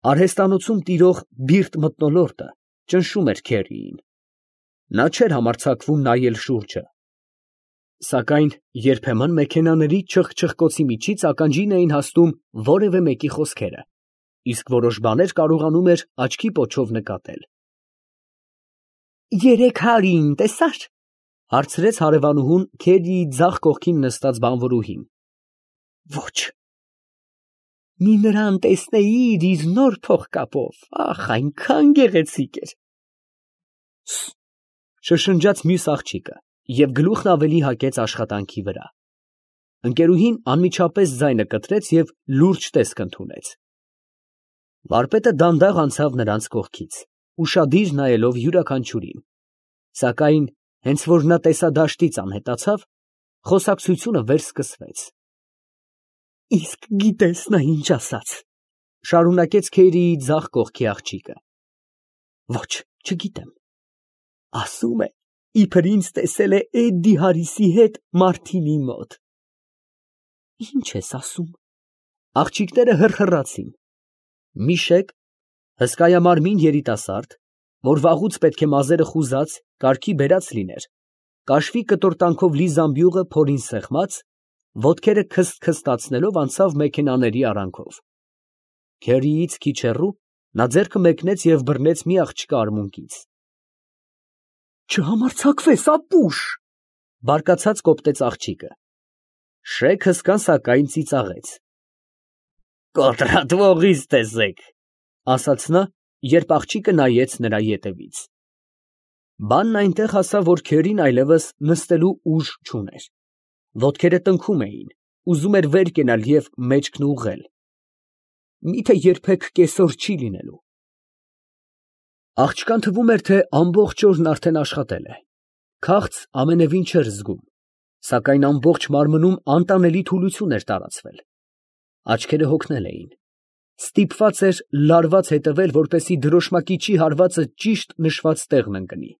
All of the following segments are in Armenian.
Արհեստանոցում տիրող բիրտ մթնոլորտը ճնշում էր Քերիին. նա չէր համարձակվում նայել շուրջը, սակայն երբեմն մեքենաների չխչխկոցի միջից ականջին էին հասնում որևէ մեկի խոսքերը, իսկ որոշ բաներ կարողանում էր աչքի պոչով նկատել։ «300-ին տեսա՞ր, ֊ հարցրեց հարևանուհուն Քերիի ձախ կողքին նստած բանվորուհին։ ֊ Ոչ։ ֊ Մի նրան տեսնեիր իր նոր փողկապով, ախ, այնքան գեղեցիկ էր։ ֊ Շշնջաց մյուս աղջիկը և գլուխն ավելի հակեց աշխատանքի վրա։ Ընկերուհին անմիջապես ձայնը կտրեց և լուրջ տեսք ընդունեց։ Վարպետը դանդաղ անցավ նրանց կողքից, ուշադիր նայելով յուրաքանչյուրին, սակայն հենց որ նա տեսադաշտից անհետացավ, խոսակցությունը վերսկսվեց։ ֊ Իսկ գիտես նա ինչ ասաց, ֊ շարունակեց Քերիի ձախ կողքի աղջիկը։ ֊ Ոչ, չգիտեմ։ Ասում է, իբր ինձ տեսել է Էդդի Հարիսի հետ Մարտինի մոտ։ ֊ Ի՞նչ ես ասում։ Աղջիկները հռհռացին։ Միշեկ, հսկայամարմին երիտասարդ, որ վաղուց պետք է մազերը խուզած, կարգի բերած լիներ, կաշվի կտորտանքով լի զամբյուղը փորին սեղմած, ոտքերը քսթքստացնելով անցավ մեքենաների արանքով։ Քերիից քիչ հեռու նա ձեռքը մեկնեց և բռնեց մի աղջկա արմունկից։ Չհամարձակվես, ապուշ, ֊ բարկացած կոպտեց աղջիկը։ Շեյք հսկան սակայն ծիծաղեց։ Կոտրատվողից տեսեք, ֊ ասաց նա, երբ աղջիկը նայեց նրա ետևից։ Բանն այնտեղ հասավ, որ Քերին այլևս նստելու ուժ չուներ։ Ոտքերը տնքում էին, ուզում էր վեր կենալ և մեջքն ուղղել։ Միթե երբեք կեսօր չի լինելու։ Աղջկան թվում էր, թե ամբողջ օրն արդեն աշխատել է, քաղց ամենևին չէր զգում, սակայն ամբողջ մարմնում անտանելի թուլություն էր տարածվել, աչքերը հոգնել էին, ստիպված էր լարված հետևել, որպեսզի դրոշմակիչի հարվածը ճիշտ նշված տեղն ընկնի։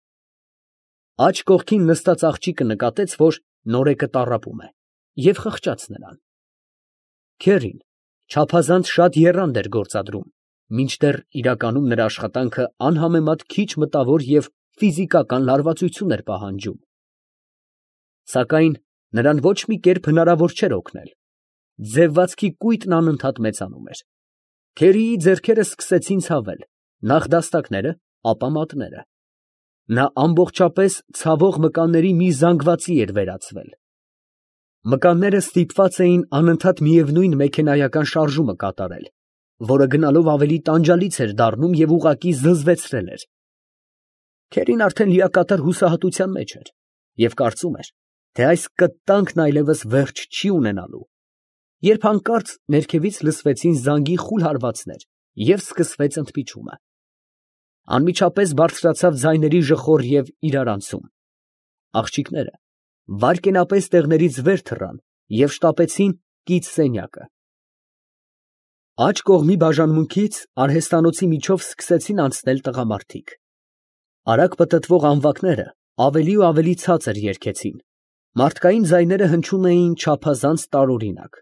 Աջ կողքին նստած աղջիկը նկատեց, որ նորեկը տառապում է, և խղճաց նրան։ Քերին չափազանց շատ եռանդ էր գործադրում, մինչդեռ իրականում նրա աշխատանքը անհամեմատ քիչ մտավոր և ֆիզիկական լարվածություն էր պահանջում։ Սակայն նրան ոչ մի կերպ հնարավոր չէր օգնել։ Ձևվածքի կույտն անընդհատ մեծանում էր։ Քերիի ձեռքերը սկսեցին ցավել, նախ դաստակները, ապա մատները։ Նա ամբողջապես ցավող մկանների մի զանգվածի էր վերածվել։ Մկանները ստիպված էին անընդհատ միևնույն մեքենայական շարժումը կատարել, որը գնալով ավելի տանջալից էր դառնում և ուղղակի զզվեցրել էր։ Քերին արդեն լիակատար հուսահատության մեջ էր և կարծում էր, թե այս կտանքն այլևս վերջ չի ունենալու, երբ հանկարծ ներքևից լսվեցին զանգի խուլ հարվածներ և սկսվեց ընդմիջումը։ Անմիջապես բարձրացավ ձայների ժխոր և իրարանցում։ Աղջիկները վայրկենապես տեղներից վեր թռան և շտապեցին կից սենյակը։ Աջ կողմի բաժանմունքից արհեստանոցի միջով սկսեցին անցնել տղամարդիկ։ Արագ պտտվող անվակները ավելի ու ավելի ցածր երգեցին, մարդկային ձայները հնչում էին չափազանց տարօրինակ։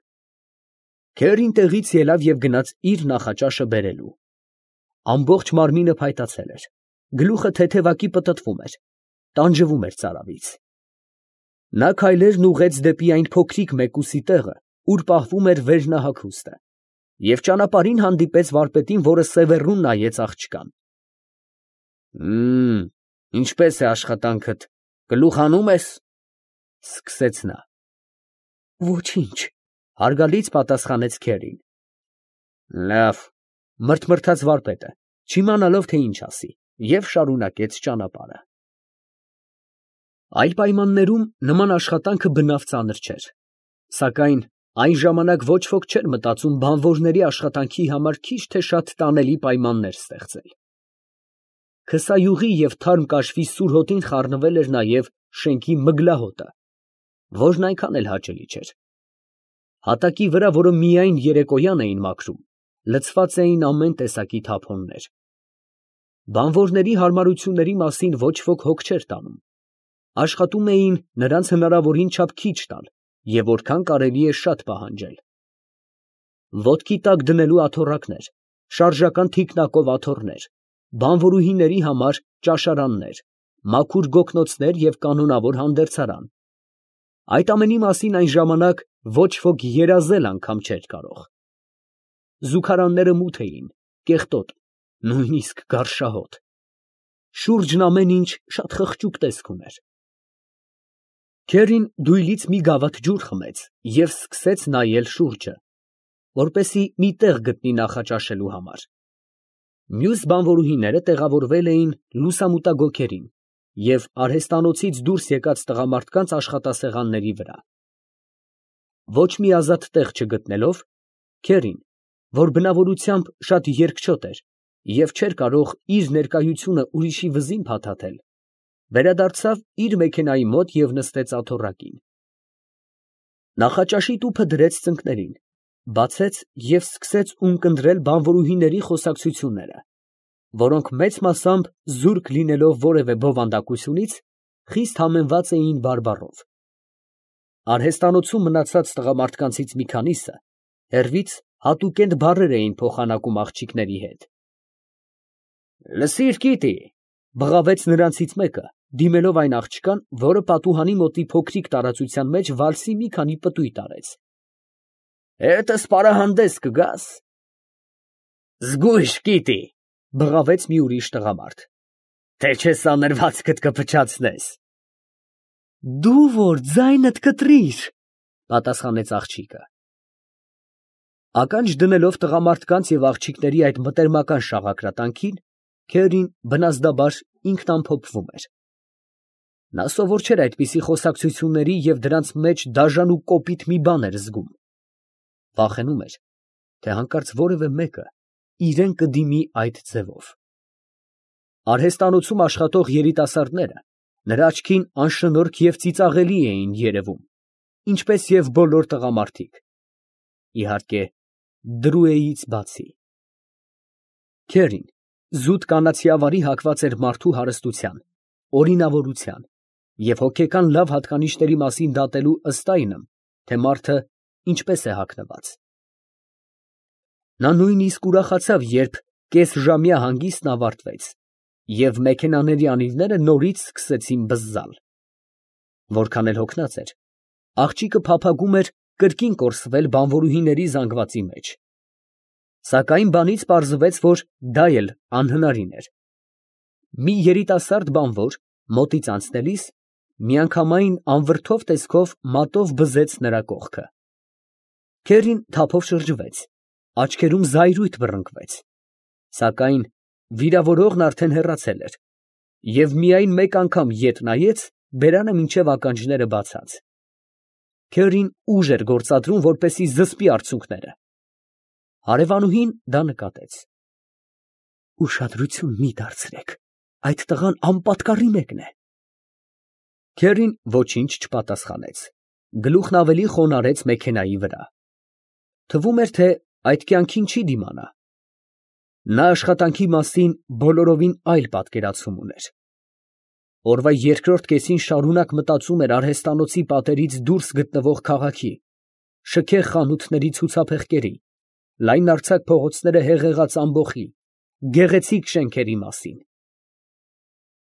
Քերին տեղից ելավ և գնաց իր նախաճաշը բերելու։ Ամբողջ մարմինը փայտացել էր, գլուխը թեթևակի պտտվում էր, տանջվում էր ծարավից։ Նա քայլերն ուղղեց դեպի այն փոքրիկ մեկուսի տեղը, ուր պահվում էր վերնահագուստը, և ճանապարհին հանդիպեց վարպետին, որը սևեռուն նայեց աղջկան։ Ինչպե՞ս է աշխատանքդ, գլուխ հանում ես, ֊ սկսեց նա։ Ոչինչ, ֊ հարգալից պատասխանեց Քերին։ Լավ, ֊ մրթմրթաց վարպետը, չիմանալով, թե ինչ ասի, և շարունակեց ճանապարհը։ Այլ պայմաններում նման աշխատանքը բնավ ծանր չէր, սակայն այն ժամանակ ոչ ոք չէր մտածում բանվորների աշխատանքի համար քիչ թե շատ տանելի պայմաններ ստեղծել։ Քսայուղի և թարմ կաշվի սուր հոտին խառնվել էր նաև շենքի մգլահոտը, որն այնքան էլ հաճելի չէր։ Հատակի վրա, որը միայն երեկոյան էին մաքրում, լցված էին ամեն տեսակի թափոններ։ Բանվորների հարմարությունների մասին ոչ ոք հոգ չէր տանում, աշխատում էին նրանց հնարավորին չափ քիչ տալ և որքան կարելի է շատ պահանջել։ Ոտքի տակ դնելու աթոռակներ, շարժական թիկնակով աթոռներ, բանվորուհիների համար ճաշարաններ, մաքուր գոգնոցներ և կանոնավոր հանդերձարան։ Այդ ամենի մասին այն ժամանակ ոչ ոք երազել անգամ չէր կարող։ Զուգարանները մութ էին, կեղտոտ, նույնիսկ գարշահոտ։ Շուրջն ամեն ինչ շատ խղճուկ տեսք ուներ։ Քերին դույլից մի գավաթ ջուր խմեց և սկսեց նայել շուրջը, որպեսզի մի տեղ գտնի նախաճաշելու համար։ Մյուս բանվորուհիները տեղավորվել էին լուսամուտագոգերին և արհեստանոցից դուրս եկած տղամարդկանց աշխատասեղանների վրա։ Ոչ մի ազատ տեղ չգտնելով, քերին, որ բնավորությամբ շատ երկչոտ էր և չէր կարող իր ներկայությունը ուրիշի վզին փաթաթել, վերադարձավ իր մեքենայի մոտ և նստեց աթոռակին։ Նախաճաշի տուփը դրեց ծնկներին, բացեց և սկսեց ունկնդրել բանվորուհիների խոսակցությունները, որոնք մեծ մասամբ զուրկ լինելով որևէ բովանդակությունից, խիստ համեմված էին բարբառով։ Արհեստանոցում մնացած տղամարդկանցից մի քանիսը հեռվից հատուկենտ բառեր էին փոխանակում աղջիկների հետ։ «Լսիր, կիտի», ֊ բղավեց նրանցից մեկը, դիմելով այն աղջկան, որը պատուհանի մոտի փոքրիկ տարածության մեջ վալսի մի քանի պտույտ արեց։ «Հետս պարահանդես կգաս»։ «Զգույշ, կիտի», ֊ բղավեց մի ուրիշ տղամարդ, «թե չէ սանրվածքդ կփչացնես»։ «Դու որ ձայնդ կտրիր», ֊ պատասխանեց աղջիկը։ Ականջ դնելով տղամարդկանց և աղջիկների այդ մտերմական շաղակրատանքին, քերին բնազդաբար ինքնամփոփվում էր։ Նա սովոր չէր այդպիսի խոսակցությունների և դրանց մեջ դաժան ու կոպիտ մի բան էր զգում։ Վախենում էր, թե հանկարծ որևէ մեկը իրան կդիմի այդ ձևով։ Արհեստանոցում աշխատող երիտասարդները նրա աչքին անշնորհք և ծիծաղելի էին երևում, ինչպես և բոլոր տղամարդիկ, իհարկե, Դրուեից բացի։ Քերին զուտ կանացի ավարի հակված էր մարդու հարստության, օրինավորության և հոգեկան լավ հատկանիշների մասին դատելու ըստ այնմ, թե մարդը ինչպես է հագնված։ Նա նույնիսկ ուրախացավ, երբ կեսժամյա հանգիստն ավարտվեց, և մեքենաների անիվները նորից սկսեցին բզզալ։ Որքան էլ հոգնած էր, աղջիկը փափագում էր կրկին կորսվել բանվորուհիների զանգվածի մեջ։ Սակայն բանից պարզվեց, որ դա էլ անհնարին էր։ Մի երիտասարդ բանվոր մոտից անցնելիս միանգամայն անվրդով տեսքով մատով բզեց նրա կողքը։ Քերին թափով շրջվեց, աչքերում զայրույթ բռնկվեց, սակայն վիրավորողն արդեն հեռացել էր, և միայն մեկ անգամ ետ նայեց բերանը մինչև ականջները բացած։ Քերին ուժ էր գործադրում, որպեսզի զսպի արցունքները։ Հարևանուհին դա նկատեց։ «Ուշադրություն մի դարձրեք, այդ տղան անպատկառի մեկն է»։ Քերին ոչինչ չպատասխանեց, գլուխն ավելի խոնարհեց մեքենայի վրա։ Թվում էր, թե այդ կյանքին չի դիմանա։ Նա աշխատանքի մասին բոլորովին այլ պատկերացում ուներ։ Օրվա երկրորդ կեսին շարունակ մտածում էր արհեստանոցի պատերից դուրս գտնվող քաղաքի, շքեղ խանութների ցուցափեղկերի, լայնարձակ փողոցները հեղեղած ամբոխի, գեղեցիկ շենքերի մասին։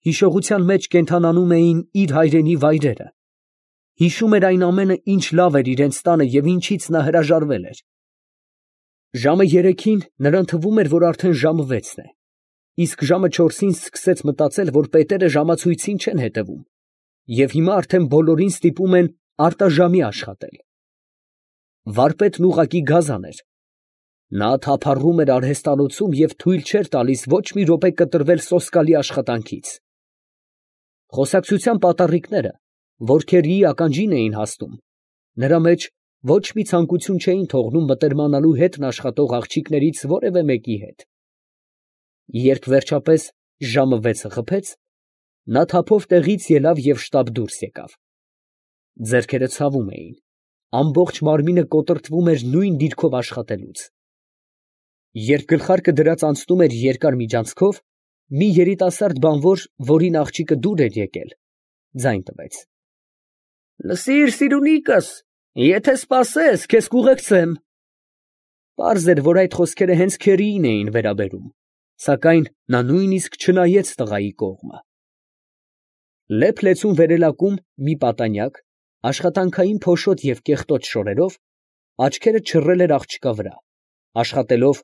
Հիշողության մեջ կենդանանում էին իր հայրենի վայրերը։ Հիշում էր այն ամենը, ինչ լավ էր իրենց տանը և ինչից նա հրաժարվել էր։ Ժամը 3-ին նրան թվում էր, որ արդեն ժամը 6-ն է, իսկ ժամը 4-ին սկսեց մտածել, որ պետերը ժամացույցին չեն հետևում, և հիմա արդեն բոլորին ստիպում են արտաժամի աշխատել։ Վարպետն ուղղակի գազան էր։ Նա թափառում էր արհեստանոցում և թույլ չէր տալիս ոչ մի րոպե կտրվել սոսկալի աշխատանքից։ Խոսակցության պատառիկները, որ քերիի ականջին էին հասնում, նրա մեջ ոչ մի ցանկություն չէին թողնում մտերմանալու հետն աշխատող աղջիկներից որևէ մեկի հետ։ Երբ վերջապես ժամը 6-ը խփեց, նա թափով տեղից ելավ և շտապ դուրս եկավ։ Ձեռքերը ցավում էին, ամբողջ մարմինը կոտրտվում էր նույն դիրքով աշխատելուց։ Երբ գլխարկը դրած անցնում էր երկար միջանցքով, մի երիտասարդ բանվոր, որին աղջիկը դուր էր եկել, ձայն տվեց. «Լսիր, սիրունիկս, եթե սպասես, քեզ կուղեկցեմ»։ Պարզ էր, որ այդ խոսքերը հենց քերիին էին վերաբերում, սակայն նա նույնիսկ չնայեց տղայի կողմը։ Լեփ֊լեցուն վերելակում մի պատանյակ, աշխատանքային փոշոտ և կեղտոտ շորերով, աչքերը չռել էր աղջկա վրա, աշխատելով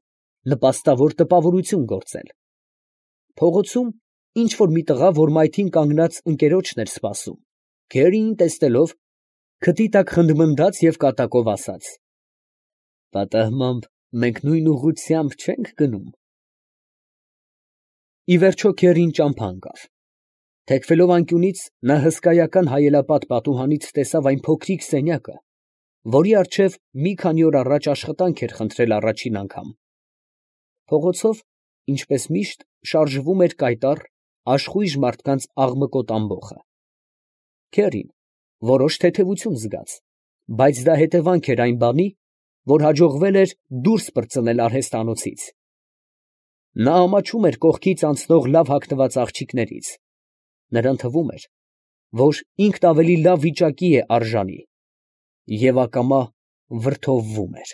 նպաստավոր տպավորություն գործել։ Փողոցում ինչ֊որ մի տղա, որ մայթին կանգնած ընկերոջն էր սպասում, քերիին տեսնելով, քթի տակ խնդմնդաց և կատակով ասաց. «Պատահմամբ մենք նույն ուղղությամբ չե՞նք գնում»։ Ի վերջո քերին ճամփա ընկավ։ Թեքվելով անկյունից, նա հսկայական հայելապատ պատուհանից տեսավ այն փոքրիկ սենյակը, որի առջև մի քանի օր առաջ աշխատանք էր խնդրել առաջին անգամ։ Փողոցով, ինչպես միշտ, շարժվում էր կայտառ, աշխույժ մարդկանց աղմկոտ ամբոխը։ Քերին որոշ թեթևություն զգաց, բայց դա հետևանք էր այն բանի, որ հաջողվել էր դուրս պրծնել արհեստանոցից։ Նա ամաչում էր կողքից անցնող լավ հագնված աղջիկներից. նրան թվում էր, որ ինքն ավելի լավ վիճակի է արժանի, և ակամա վրդովվում էր։